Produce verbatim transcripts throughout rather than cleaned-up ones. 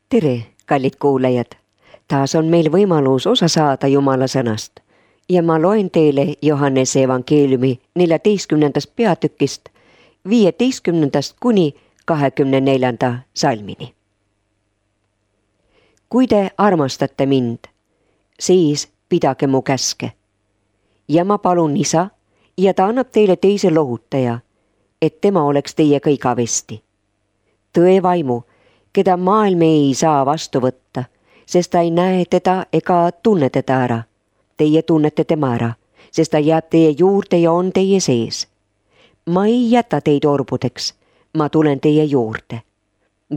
Tere, kallid kuulajad! Taas on meil võimalus osa saada Jumala sõnast ja ma loen teile Johannese evangeeliumi neljateistkümnendast peatükist viieteistkümnendast kuni kahekümne neljanda salmini. Kui te armastate mind, siis pidage mu käske. Ja ma palun Isa ja ta annab teile teise lohutaja, et tema oleks teiega igavesti. Tõe vaimu, keda maailm ei saa vastu võtta, sest ta ei näe teda ega tunne teda ära. Teie tunnete tema ära, sest ta jääb teie juurde ja on teie sees. Ma ei jäta teid orbudeks, ma tulen teie juurde.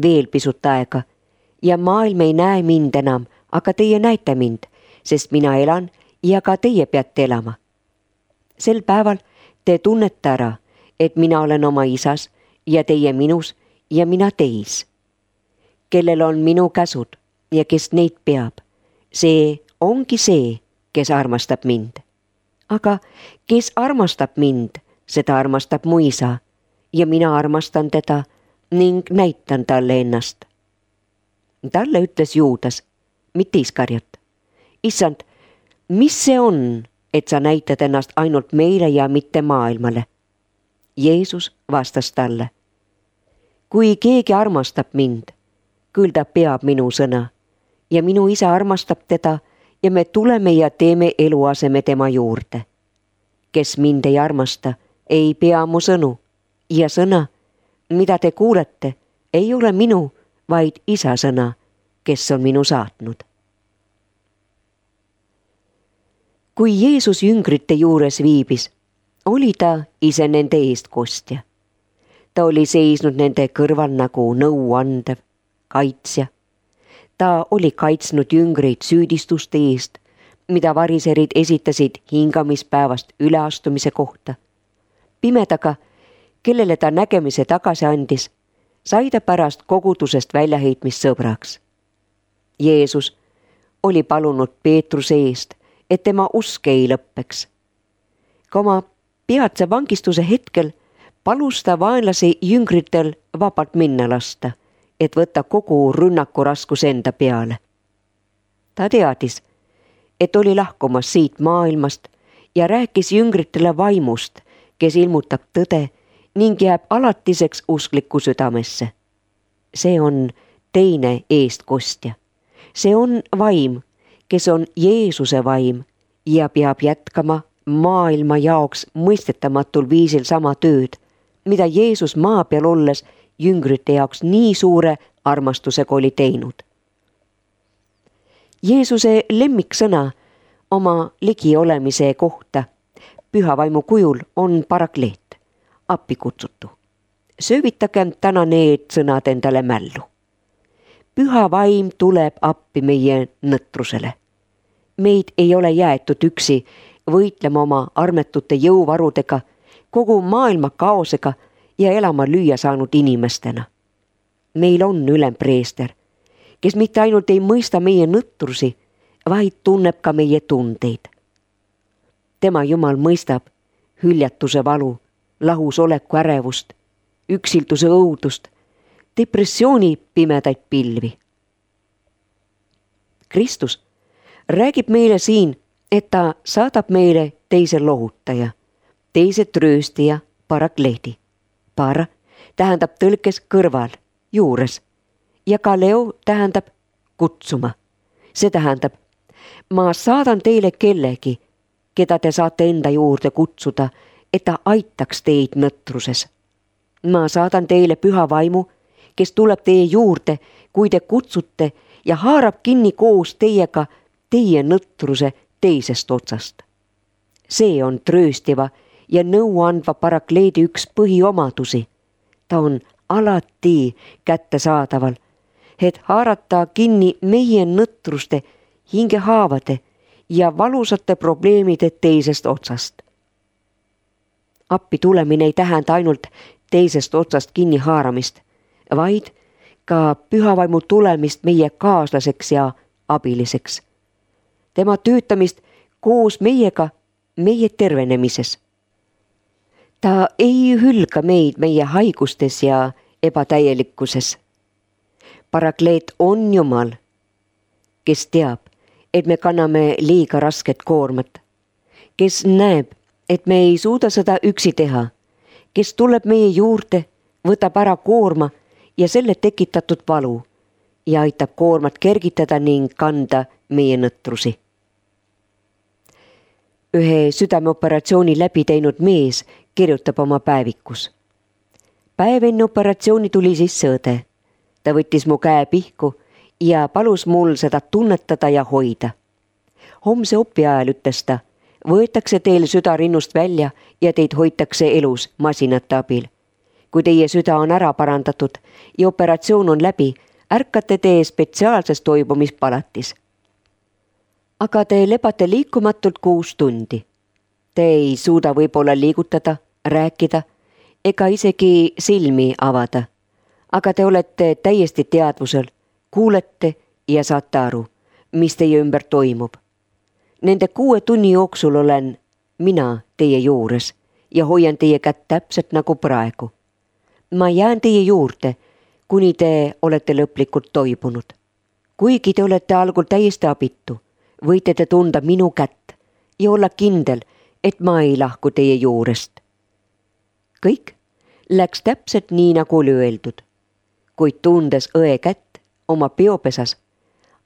Veel pisut aega ja maailm ei näe mind enam, aga teie näete mind, sest mina elan ja ka teie peate elama. Sel päeval te tunnete ära, et mina olen oma Isas ja teie minus ja mina teis. Kellel on minu käsud ja kes neid peab, see ongi see, kes armastab mind. Aga kes armastab mind, seda armastab mu Isa ja mina armastan teda ning näitan talle ennast. Talle ütles Juudas, mitte Iskariot. Issand, mis see on, et sa näitad ennast ainult meile ja mitte maailmale? Jeesus vastas talle. Kui keegi armastab mind, küll ta peab minu sõna ja minu Isa armastab teda ja me tuleme ja teeme eluaseme tema juurde. Kes mind ei armasta, ei pea mu sõnu ja sõna, mida te kuulete, ei ole minu, vaid Isa sõna, kes on minu saatnud. Kui Jeesus jüngrite juures viibis, oli ta ise nende eestkostja. Ta oli seisnud nende kõrval nagu nõuandev kaitsja. Ta oli kaitsnud jüngreid süüdistuste eest, mida variserid esitasid hingamispäevast üleastumise kohta. Pimedaga, kellele ta nägemise tagasi andis, sai ta pärast kogudusest väljaheitmist sõbraks. Jeesus oli palunud Peetruse eest, et tema usk ei lõppeks. Ka oma peatse vangistuse hetkel palus ta vaenlase jüngritel vabalt minna lasta, et võtta kogu rünnaku raskus enda peale. Ta teadis, et oli lahkumas siit maailmast ja rääkis jüngritele vaimust, kes ilmutab tõde ning jääb alatiseks uskliku südamesse. See on teine eestkostja. See on vaim, kes on Jeesuse vaim ja peab jätkama maailma jaoks mõistetamatul viisil sama tööd, mida Jeesus maa peal olles jüngrite jaoks nii suure armastusega oli teinud. Jeesuse lemmiksõna oma ligiolemise kohta püha vaimu kujul on parakleet, appi kutsutu. Söövitagem täna need sõnad endale mällu. Püha vaim tuleb appi meie nõtrusele. Meid ei ole jäetud üksi võitlema oma armetute jõuvarudega, kogu maailma kaosega ja elama lüüa saanud inimestena. Meil on ülempreester, kes mitte ainult ei mõista meie nõtrusi, vaid tunneb ka meie tundeid. Tema Jumal mõistab hüljatuse valu, lahusoleku ärevust, üksilduse õudust, depressiooni pimedaid pilvi. Kristus räägib meile siin, et ta saadab meile teise lohutaja, teise trööstija parakleedi. Para tähendab tõlkes kõrval, juures ja kaleo tähendab kutsuma. See tähendab, ma saadan teile kellegi, keda te saate enda juurde kutsuda, et ta aitaks teid nõtruses. Ma saadan teile püha vaimu, kes tuleb teie juurde, kui te kutsute ja haarab kinni koos teiega teie nõtruse teisest otsast. See on trööstiva ja nõuandva parakleedi üks põhiomadusi. Ta on alati kättesaadaval, et haarata kinni meie nõtruste, hingehaavade ja valusate probleemide teisest otsast. Appi tulemine ei tähenda ainult teisest otsast kinni haaramist, vaid ka pühavaimu tulemist meie kaaslaseks ja abiliseks. Tema töötamist koos meiega meie tervenemises. Ta ei hülga meid meie haigustes ja ebatäielikkuses. Parakleet on Jumal, kes teab, et me kanname liiga rasket koormat, kes näeb, et me ei suuda seda üksi teha, kes tuleb meie juurde, võtab ära koorma ja selle tekitatud valu ja aitab koormat kergitada ning kanda meie nõtrusi. Ühe südameoperatsiooni läbi teinud mees kirjutab oma päevikus. Päev enne operatsiooni tuli sisse õde. Ta võttis mu käe pihku ja palus mul seda tunnetada ja hoida. Homse opi ajal ütles ta, võetakse teil süda rinnust välja ja teid hoitakse elus masinate abil. Kui teie süda on ära parandatud ja operatsioon on läbi, ärkate te spetsiaalses toibumispalatis. Aga te lebate liikumatult kuus tundi. Te ei suuda võib-olla liigutada, rääkida ega isegi silmi avada. Aga te olete täiesti teadvusel, kuulete ja saate aru, mis teie ümber toimub. Nende kuue tunni jooksul olen mina teie juures ja hoian teie kätt täpselt nagu praegu. Ma jään teie juurde, kuni te olete lõplikult toibunud. Kuigi te olete algul täiesti abitu, võite te tunda minu kätt ja olla kindel, et ma ei lahku teie juurest. Kõik läks täpselt nii, nagu oli öeldud, kuid tundes õe kätt oma peopesas,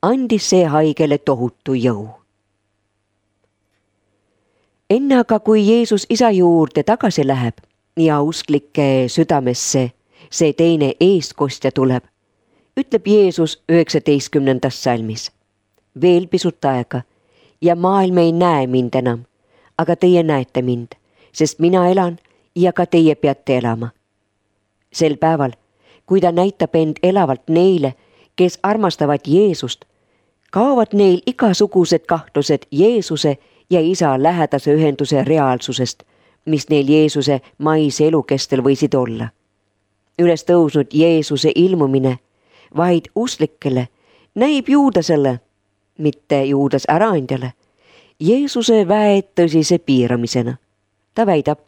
andis see haigele tohutu jõu. Enne aga, kui Jeesus isa juurde tagasi läheb ja usklike südamesse see teine eestkostja tuleb, ütleb Jeesus üheksateistkümnendas salmis. Veel pisut aega ja maailm ei näe mind enam, aga teie näete mind, sest mina elan ja ka teie peate elama. Sel päeval, kui ta näitab end elavalt neile, kes armastavad Jeesust, kaovad neil igasugused kahtlused Jeesuse ja isa lähedase ühenduse reaalsusest, mis neil Jeesuse maise elu kestel võisid olla. Üles tõusnud Jeesuse ilmumine vaid usklikele näib Juudasele, mitte Juudas äraandjale, Jeesuse väe tõsise piiramisena. Ta väidab,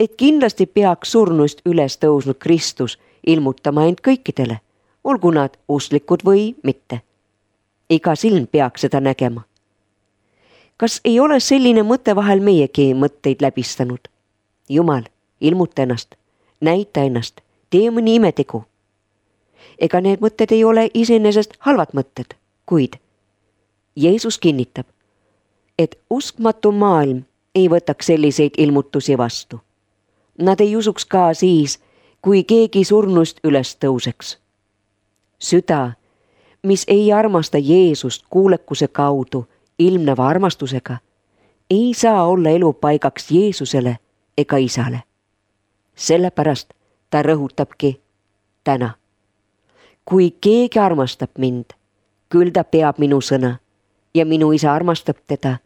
et kindlasti peaks surnust üles tõusnud Kristus ilmutama end kõikidele, olgu nad usklikud või mitte. Iga silm peaks seda nägema. Kas ei ole selline mõte vahel meiegi mõtteid läbistanud? Jumal, ilmuta ennast, näita ennast, tee mõni imetegu. Ega need mõtted ei ole iseenesest halvad mõtted, kuid Jeesus kinnitab, et uskmatu maailm ei võtaks selliseid ilmutusi vastu. Nad ei usuks ka siis, kui keegi surnust üles tõuseks. Süda, mis ei armasta Jeesust kuulekuse kaudu ilmneva armastusega, ei saa olla elupaigaks Jeesusele ega isale. Sellepärast ta rõhutabki täna. Kui keegi armastab mind, küll ta peab minu sõna ja minu isa armastab teda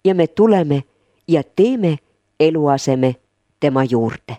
ja me tuleme ja teeme eluaseme tema juurde.